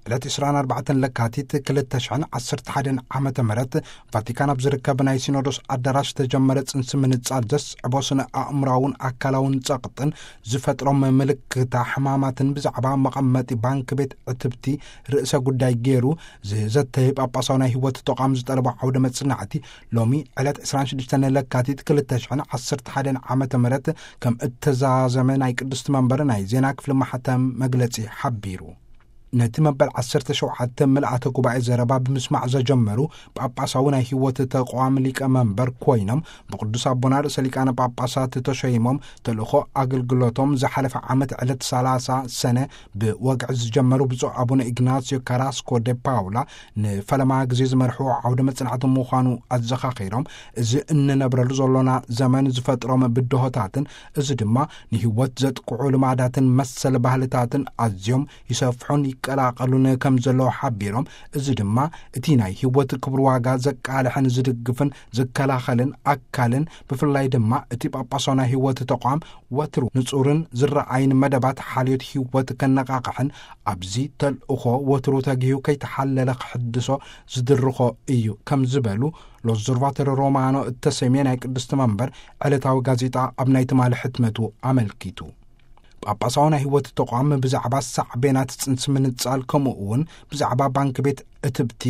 ዕለት ዕስራን ኣርባዕተን ለካቲት ክልተ ሽሕን ዓሰርተ ሓደን ዓመተ ምህረት ቫቲካን ኣብ ዝርከብ ናይ ሲኖዶስ ኣዳራሽ ዝተጀመረ ጽንሲ ምንጻል ዘስዕቦ ስነ ኣእምራውን ኣካላውን ጸቕጥን ዝፈጥሮም ምልክታ ሕማማትን ብዛዕባ መቐመጢ ባንክ ቤት ዕትብቲ ርእሰ ጉዳይ ገይሩ ዝዘተየ ጳጳሳዊ ናይ ህይወት ተቋም ዝጠለቦ ዓውደ መጽናዕቲ ሎሚ ዕለት ዕስራን ሽዱሽተን ለካቲት ክልተ ሽሕን ዓሰርተ ሓደን ዓመተ ምህረት ከም እተዛዘመ ናይ ቅድስቲ መንበር ናይ ዜና ክፍሊ ማሕተም መግለጺ ሓቢሩ። ነቲ መበል ዓሰርተ ሸውዓተ ምልኣተ ጉባኤ ዘረባ ብምስማዕ ዘጀመሩ ጳጳሳዊ ናይ ህይወት ተቋም ሊቀ መንበር ኮይኖም ብቅዱስ ኣቦና ርእሰ ሊቃነ ጳጳሳት ተሸይሞም ተልእኾ ኣገልግሎቶም ዝሓለፈ ዓመት ዕለት ሰላሳ ሰነ ብወግዒ ዝጀመሩ ብፁዕ ኣቡነ ኢግናስዮ ካራስኮ ደ ፓውላ ንፈለማ ግዜ ዝመርሕዎ ዓውደ መጽናዕቲ ምዃኑ ኣዘኻኺሮም፣ እዚ እንነብረሉ ዘሎና ዘመን ዝፈጥሮም ብድሆታትን እዚ ድማ ንህይወት ዘጥቅዑ ልማዳትን መሰል ባህልታትን ኣዝዮም ይሰፍሑን ይቀላቐሉን ከም ዘለዉ ሓቢሮም፣ እዚ ድማ እቲ ናይ ህይወት ክብር ዋጋ ዘቃልሕን ዝድግፍን ዝከላኸልን ኣካልን ብፍላይ ድማ እቲ ጳጳሳዊ ናይ ህይወት ተቋም ወትሩ ንጹርን ዝረኣይን መደባት ሓልዮት ህይወት ከነቓቕሕን ኣብዚ ተልእኾ ወትሩ ተጊሁ ከይተሓለለ ክሕድሶ ዝድርኾ እዩ ከም ዝበሉ ሎዞርቫተሮ ሮማኖ እተሰምየ ናይ ቅድስቲ መንበር ዕለታዊ ጋዜጣ ኣብ ናይ ትማሊ ሕትመቱ ኣመልኪቱ። ጳጳሳዊ ናይ ህይወት ተቋም ብዛዕባ ሳዕቤናት ጽንሲ ምንጻል ከምኡ እውን ብዛዕባ ባንክ ቤት እትብቲ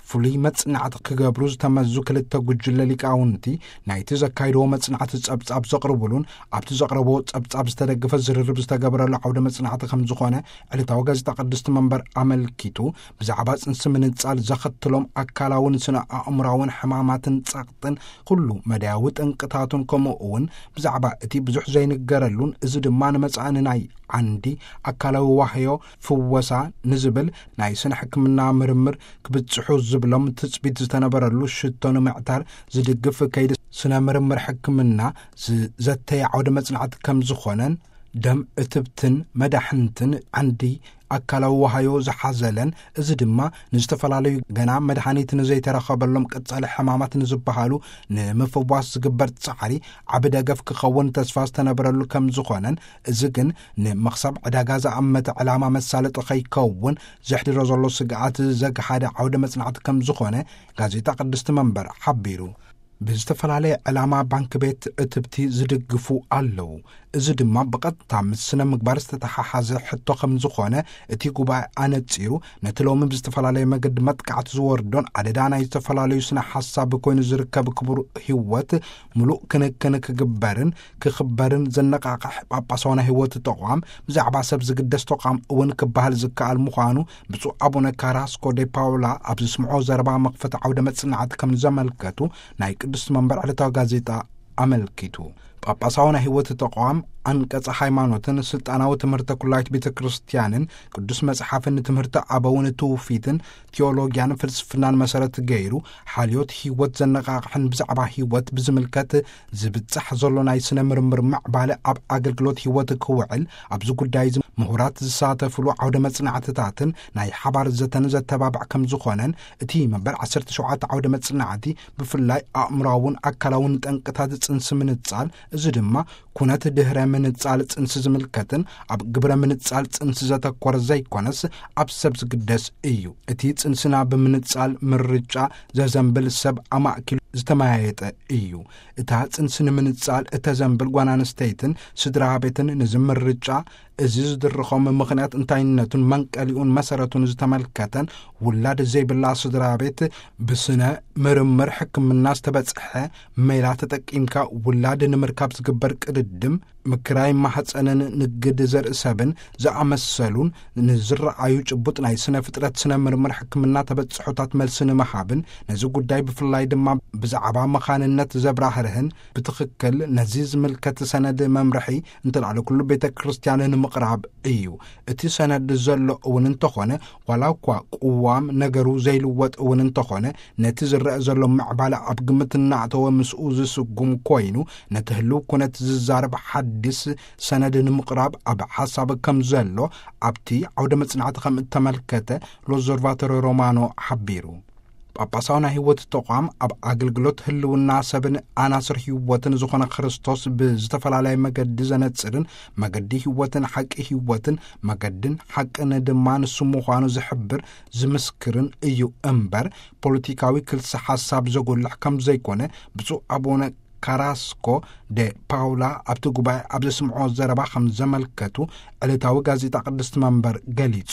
ፍሉይ መጽናዕቲ ክገብሩ ዝተመዙ ክልተ ጉጅለ ሊቃውንቲ ናይቲ ዘካይድዎ መጽናዕቲ ጸብጻብ ዘቕርቡሉን ኣብቲ ዘቕረብዎ ጸብጻብ ዝተደገፈ ዝርርብ ዝተገበረሉ ዓውደ መጽናዕቲ ከም ዝኾነ ዕለታዊ ጋዜጣ ቅድስቲ መንበር ኣመልኪቱ፣ ብዛዕባ ጽንሲ ምንጻል ዘኸትሎም ኣካላውን ስነ ኣእምራውን ሕማማትን ጸቕጥን ኩሉ መዳያዊ ጠንቅታቱን ከምኡ እውን ብዛዕባ እቲ ብዙሕ ዘይንገረሉን እዚ ድማ ንመጻኢ ናይ ዓንዲ ኣካላዊ ዋህዮ ፍወሳ ንዝብል ናይ ስነ ሕክምና ምርምር ክብጽሑ ዝብሎም ትጽቢት ዝተነበረሉ ሽቶ ንምዕታር ዝድግፍ ከይዲ ስነ ምርምር ሕክምና ዝዘተየ ዓውደ መጽናዕቲ ከም ዝኾነን ደም እትብትን መዳሕንትን ዓንዲ ኣካላዊ ዋሃዮ ዝሓዘለን እዚ ድማ ንዝተፈላለዩ ገና መድሃኒት ንዘይተረኸበሎም ቀጻሊ ሕማማት ንዝበሃሉ ንምፍዋስ ዝግበር ጻዕሪ ዓቢ ደገፍ ክኸውን ተስፋ ዝተነበረሉ ከም ዝኾነን እዚ ግን ንመኽሰብ ዕዳጋ ዝኣመተ ዕላማ መሳለጢ ከይከውን ዘሕድሮ ዘሎ ስግኣት ዘግሓደ ዓውደ መጽናዕቲ ከም ዝኾነ ጋዜጣ ቅድስቲ መንበር ሓቢሩ። ብዝተፈላለየ ዕላማ ባንክ ቤት እትብቲ ዝድግፉ ኣለዉ። እዚ ድማ ብቐጥታ ምስ ስነ ምግባር ዝተተሓሓዘ ሕቶ ከም ዝኾነ እቲ ጉባኤ ኣነጺሩ፣ ነቲ ሎሚ ብዝተፈላለየ መገዲ መጥቃዕቲ ዝወርዶን ኣደዳ ናይ ዝተፈላለዩ ስነ ሓሳብ ኮይኑ ዝርከብ ክቡር ህይወት ምሉእ ክንክን ክግበርን ክኽበርን ዘነቃቕሕ ጳጳሳዊ ናይ ህይወት ተቋም ብዛዕባ ሰብ ዝግደስ ተቋም እውን ክበሃል ዝከኣል ምዃኑ ብፁዕ ኣቡነ ካራስኮ ዴ ፓውላ ኣብ ዝስምዖ ዘረባ መኽፈቲ ዓውደ መጽናዕቲ ከም ዘመልከቱ ናይ ቅድስቲ መንበር ዕለታዊ ጋዜጣ ኣመልኪቱ። ጳጳሳዊ ናይ ህይወት ተቋም ኣንቀጸ ሃይማኖትን ስልጣናዊ ትምህርተ ኩላይት ቤተ ክርስቲያንን ቅዱስ መጽሓፍን ንትምህርቲ ኣበውን ትውፊትን ቴዎሎጊያን ፍልስፍናን መሰረት ገይሩ ሓልዮት ህይወት ዘነቃቕሕን ብዛዕባ ህይወት ብዝምልከት ዝብጻሕ ዘሎ ናይ ስነ ምርምር ምዕባለ ኣብ ኣገልግሎት ህይወት ክውዕል ኣብዚ ጉዳይ እዚ ምሁራት ዝሳተፍሉ ዓውደ መጽናዕትታትን ናይ ሓባር ዘተን ዘተባብዕ ከም ዝኾነን እቲ መበል ዓሰርተ ሸውዓተ ዓውደ መጽናዕቲ ብፍላይ ኣእምራውን ኣካላውን ጠንቅታት ጽንሲ ምንጻል እዚ ድማ ኩነት ድህረ ምንጻል ጽንሲ ዝምልከትን ኣብ ግብረ ምንጻል ጽንሲ ዘተኮረ ዘይኮነስ ኣብ ሰብ ዝግደስ እዩ። እቲ ጽንስና ብምንጻል ምርጫ ዘዘንብል ሰብ ኣማእኪሉ ዝተመያየጠ እዩ። እታ ጽንሲ ንምንጻል እተዘንብል ጓል ኣንስተይትን ስድራ ቤትን ንዚ ምርጫ እዚ ዝድርኾም ምኽንያት እንታይነቱን መንቀሊኡን መሰረቱን ዝተመልከተን ውላድ ዘይብላ ስድራ ቤት ብስነ ምርምር ሕክምና ዝተበጽሐ ሜላ ተጠቂምካ ውላድ ንምርካብ ዝግበር ቅድድም ምክራይ ማህፀንን ንግድ ዘርኢ ሰብን ዝኣመሰሉን ንዝረኣዩ ጭቡጥ ናይ ስነ ፍጥረት ስነ ምርምር ሕክምና ተበጽሖታት መልሲ ንምሃብን ነዚ ጉዳይ ብፍላይ ድማ ብዛዕባ መኻንነት ዘብራህርህን ብትኽክል ነዚ ዝምልከት ሰነድ መምርሒ እንተላዕለ ኩሉ ቤተ ክርስቲያን ንምቕራብ እዩ። እቲ ሰነድ ዘሎ እውን እንተኾነ ዋላ እኳ ቅዋም ነገሩ ዘይልወጥ እውን እንተኾነ ነቲ ዝረአ ዘሎ ምዕባለ ኣብ ግምት እናእተወ ምስኡ ዝስጉም ኮይኑ ነቲ ህልው ኩነት ዝዛረብ ሓዲስ ሰነድ ንምቕራብ ኣብ ሓሳብ ከም ዘሎ ኣብቲ ዓውደ መጽናዕቲ ከም እተመልከተ ሎዞርቫቶሪ ሮማኖ ሓቢሩ። ጳጳሳዊ ናይ ህይወት ተቋም ኣብ ኣገልግሎት ህልውና ሰብን ኣናስር ህይወትን ዝኾነ ክርስቶስ ብዝተፈላለየ መገዲ ዘነጽርን መገዲ ህይወትን ሓቂ ህይወትን መገድን ሓቅን ድማ ንሱ ምዃኑ ዝሕብር ዝምስክርን እዩ እምበር ፖለቲካዊ ክልሲ ሓሳብ ዘጎልሕ ከም ዘይኮነ ብፁዕ ኣቡነ ካራስኮ ደ ፓውላ ኣብቲ ጉባኤ ኣብ ዘስምዖ ዘረባ ከም ዘመልከቱ ዕለታዊ ጋዜጣ ቅድስቲ መንበር ገሊጹ።